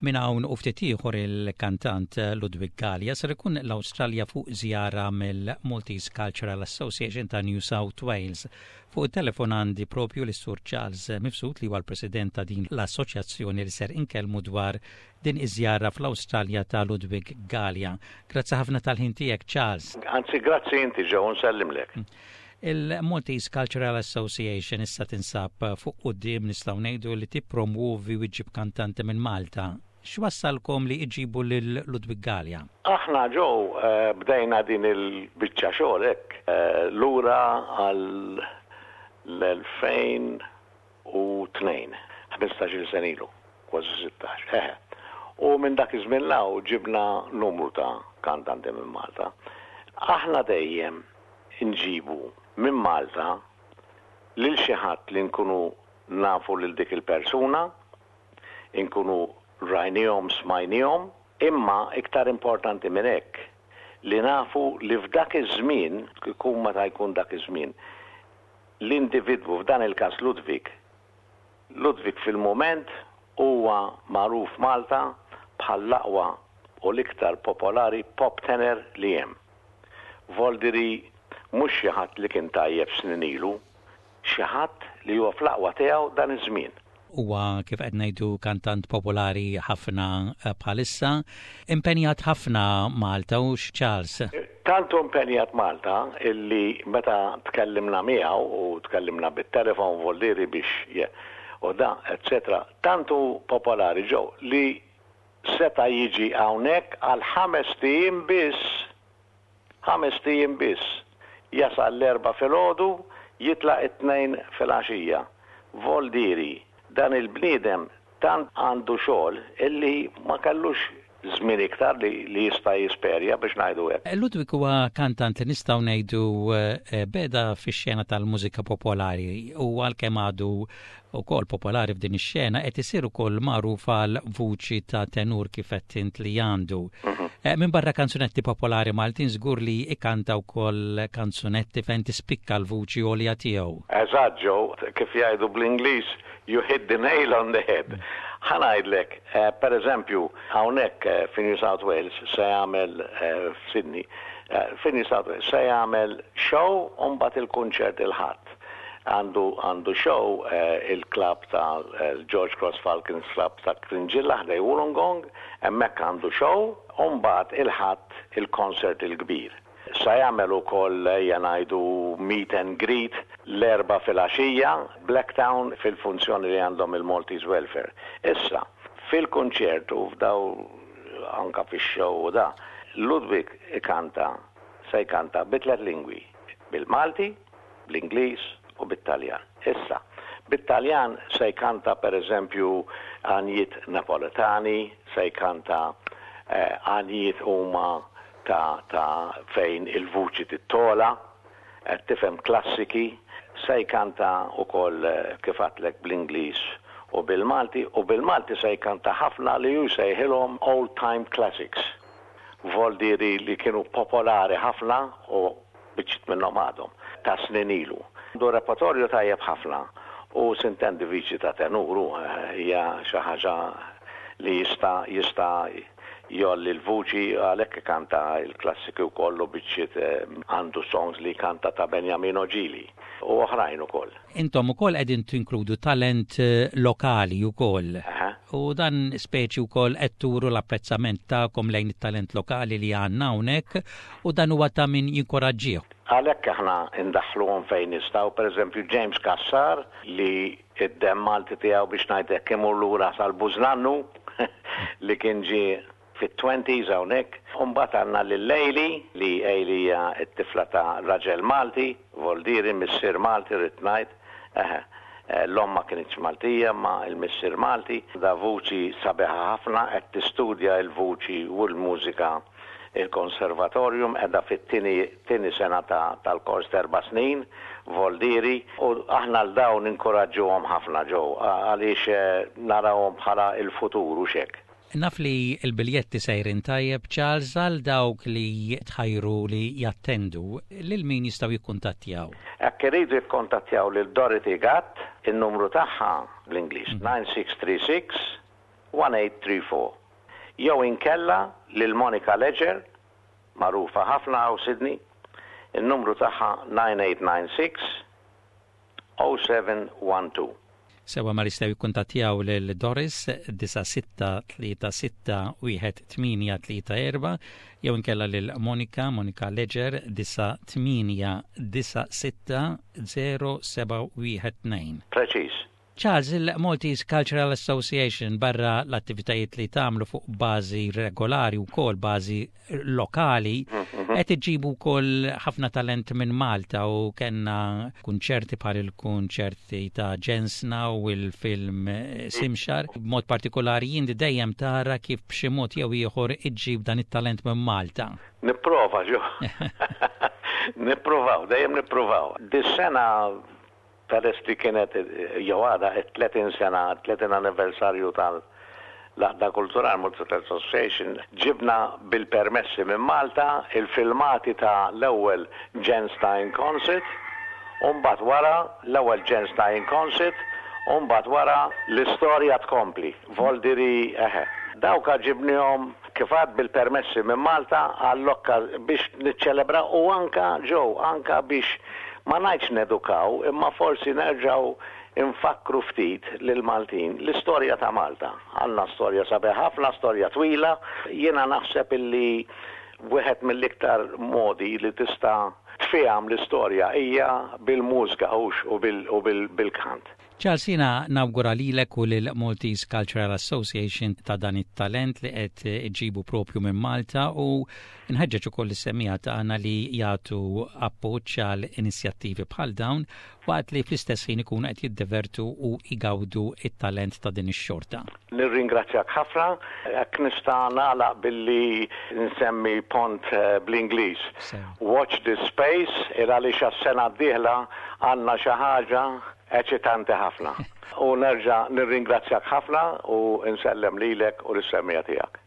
Minn hawn u ftit ieħor il-kantant Ludwig Galea ser ikun l-Awstralja fuq żjara mill-Maltese Cultural Association ta' New South Wales. Fuq it-telefon għandi propju lis-Sur Charles Mifsud li huwa l-President ta' din l-assoċjazzjoni li ser inkellmu dwar din iż-żjara fl-Awstralja ta' Ludwig Galea. Grazzi ħafna tal-ħin tiegħek Charles. Anzi grazzi inti Joe nsellimlek. Il-Maltese Cultural Association issa tinsab fuq quddiem nistgħu ngħidu li tippromwovi u ġġib kantanti minn Malta. X'wassalkom li iġibu lil Ludwig Galea? Aħna Joe bdejna din il-biċċa xogħol hekk lura għal l-2002, 15-il sena ilu, kważi 16, eħe. U minn dak iż-żmien 'l hawn ġibna numru ta' kantanti minn Malta. Aħna dejjem inġibu minn Malta lil xi ħadd li nkunu nafu lil dik il-persuna, inkunu rajniehom, smajniehom, imma iktar importanti minn hekk, li nafu li f'dak iż-żmien, ikun meta jkun dak iż-żmien, l-individwu, f'dan il-każ Ludwig, Ludwig fil-mument huwa magħruf Malta bħal l-aqwa u l-iktar popolari pop tenor li hemm. Voldiri mhux xi ħadd li kien tajjeb snin ilu, xi ħadd li huwa fl-aqwa tiegħu dan iż-żmien. Huwa kif qed ngħidu kantant popolari ħafna bħalissa. Impenjat ħafna Malta hux Charles? Tant hu impenjat Malta illi meta tkellimna miegħu u tkellimna bit-telefon voldiri biex u da etc. Tant hu popolari Joe li seta' jiġi hawnhekk għal ħamest ijiem biss! Ħamest ijiem biss! Jasal l-Erbgħa filgħodu, jitlaq it-Tnejn filgħaxija. Voldieri, dan il-bniedem tant għandu xogħol illi ma kellux żmien iktar li li jista' jisperja biex ngħidu hekk. Ludwig huwa kantant li nistgħu ngħidu beda fix-xena tal-mużika popolari u għalkemm għadu ukoll popolari f'din ix-xena qed isir ukoll magħruf għal vuċi ta' tenur kif għedt int li għandu. Eh, minn barra kanzunetti popolari Maltin żgur li ikanta wkoll kanzunetti fejn tispikka l-vuċi għolja tiegħu. Eżatt Joe, kif jgħidu bl-Ingliż, you hit the nail on the head. Ħa ngħidlek, eh, per eżempju, hawnhekk eh, fi New South Wales se jagħmel f'Sydney, fi New South Wales se jagħmel show u mbagħad il-kunċert il-Ħadd. Għandu għandu show il-klabb ta' George Cross Falcons Club ta' Cringilla ħdejn Wollongong, hemmhekk għandu show u mbagħad il-Ħadd il-concert il-kbir. Sa jagħmel ukoll ejja ngħidu meet and greet l-Erbgħa filgħaxija Blacktown fil-funzjoni li għandhom il-Maltese Welfare. Issa, fil-kunċert u f'daw anka fix-show u da, Ludwig ikanta se jkanta bi tlett lingwi, bil-Malti, bl-Ingliż u bit-Taljan. Issa, bit-Taljan se jkanta per eżempju għanjiet Napoletani, se jkanta għanjiet huma ta' ta' fejn il-vuċi tittola, qed tifhem klassiki, se jkanta wkoll kif għedtlek bl-Ingliż u bil-Malti, u bil-Malti se jkanta ħafna li hu jsejħilhom old time classics, voldieri li kienu popolari ħafna u biċċiet minnhom għadhom, ta' snin ilu. Għandu repertorju tajjeb ħafna u sintendi viċi ta' tenur hu, hija xi ħaġa li jista' jista' jgħolli l-vuċi għalhekk ikanta l-klassiki wkoll u biċċiet għandu songs li jkanta ta' Beniamino Gigli u oħrajn ukoll. Intom ukoll qegħdin tinkludu talent lokali wkoll. U dan speċi wkoll qed turu l-apprezzament tagħkom lejn it-talent lokali li għandna hawnhekk u dan huwa ta' min jinkoraġġih. Għalhekk aħna ndaħħluhom fejn nistgħu, pereżempju James Cassar li d-demm Malti tiegħu biex ngħid hekk imur lura sal-bużnannu li kien ġie fit-twenties hawnhekk. U mbagħad għandna lil Ailey, li Ailey hija t-tifla ta' raġel Malti, Voldieri, missier Malti rrid ngħid, eħe. L-omm ma kinitx Maltija imma l-missier Malti. Għandha vuċi sabiħa ħafna, qed tistudja l-vuċi u l-mużika il-konservatorium, qiegħda fit-tieni tieni sena ta' tal-kors t'erba' snin, Voldieri, u aħna 'l dawn ninkuraġġuhom ħafna Joe, għaliex narawhom bħala l-futur hux hekk. Naf li l-biljetti sejrin tajjeb Charles, għal dawk li tħajru li jattendu, lil min jistgħu jikkuntattjaw? Hekk iridu jikkontattjaw lil Dorothy Gatt, in-numru tagħha bl-Ingliż, 9636. 1834. Jew inkella lil Monica Ledger, magħrufa ħafna hawn Sydney, in-numru tagħha 9896 0712. Sewwa mela jistgħu jikkuntattjaw lil Doris 96361834 jew inkella lil Monica, Monica Ledger 9896 0712. Preċiż. Charles, il-Maltese Cultural Association barra l-attivitajiet li tagħmlu fuq bażi regolari wkoll bażi lokali qed iġibu wkoll ħafna talent minn Malta u kellna kunċerti bħal il-kunċerti ta' Ġensna u l-film Simxar. B'mod partikolari jien dejjem tara kif b'xi mod jew ieħor iġġib dan it-talent minn Malta. Nipprova ġo. Nippruvaw, dejjem nippruvaw. Dis-sena Peress li kienet jew għadha t-30 sena, 30 anniversarju tal l-Għaqda Kulturali Malta Cultural Association, ġibna bil-permessi minn Malta il-filmati ta' l-ewwel Ġensna in Concert u mbagħad wara l-ewwel Ġensna in Concert u mbagħad wara l-istorja tkompli. Voldiri eħe. Dawk ġibnihom kif għad bil-permessi minn Malta għall-okka biex niċċelebraw u anka Joe, anka biex ma ngħidx nedukaw imma forsi nerġgħu nfakkru ftit lill-Maltin l-istorja ta' Malta. Għandna storja sabiħa ħafna, storja twila. Jiena naħseb illi wieħed mill-iktar modi li tista' tfiehem l-istorja hija bil-mużika hux u bil-kant. Charles jiena nawgura lilek u lil Maltese Cultural Association ta' dan it-talent li qed iġġibu propju minn Malta u nħeġġeġ ukoll lis-semmiegħa tagħna li jagħtu appoġġ għal inizjattivi bħal dawn waqt li fl-istess ħin ikunu qed jiddevertu u jgawdu t-talent ta' din ix-xorta. Nirringrazzjak ħafna. Jekk nista' nagħlaq billi nsemmi pont bl-Ingliż. Watch this space il għaliex għas-sena d-dieħla għandna xi ħaġa Eċitanti ħafna. U nerġa' nirringrazzjak ħafna u nsellem lilek u lis-semmiegħa tiegħek.